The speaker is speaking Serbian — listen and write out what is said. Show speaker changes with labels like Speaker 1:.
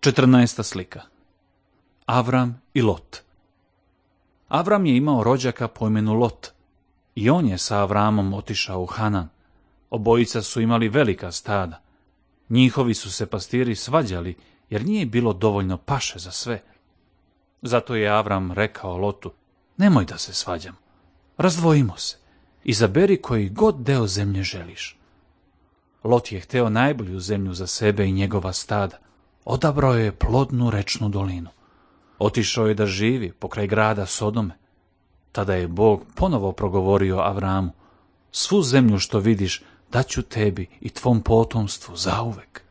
Speaker 1: 14. slika. Avram i Lot. Avram je imao rođaka po imenu Lot i on je sa Avramom otišao u Hanan. Obojica su imali velika stada. Njihovi su se pastiri svađali jer nije bilo dovoljno paše za sve. Zato je Avram rekao Lotu: nemoj da se svađamo, razdvojimo se, izaberi koji god deo zemlje želiš. Lot je hteo najbolju zemlju za sebe i njegova stada. Odabrao je plodnu rečnu dolinu. Otišao je da živi pokraj grada Sodome. Tada je Bog ponovo progovorio Avramu: svu zemlju što vidiš daću tebi i tvom potomstvu zauvek.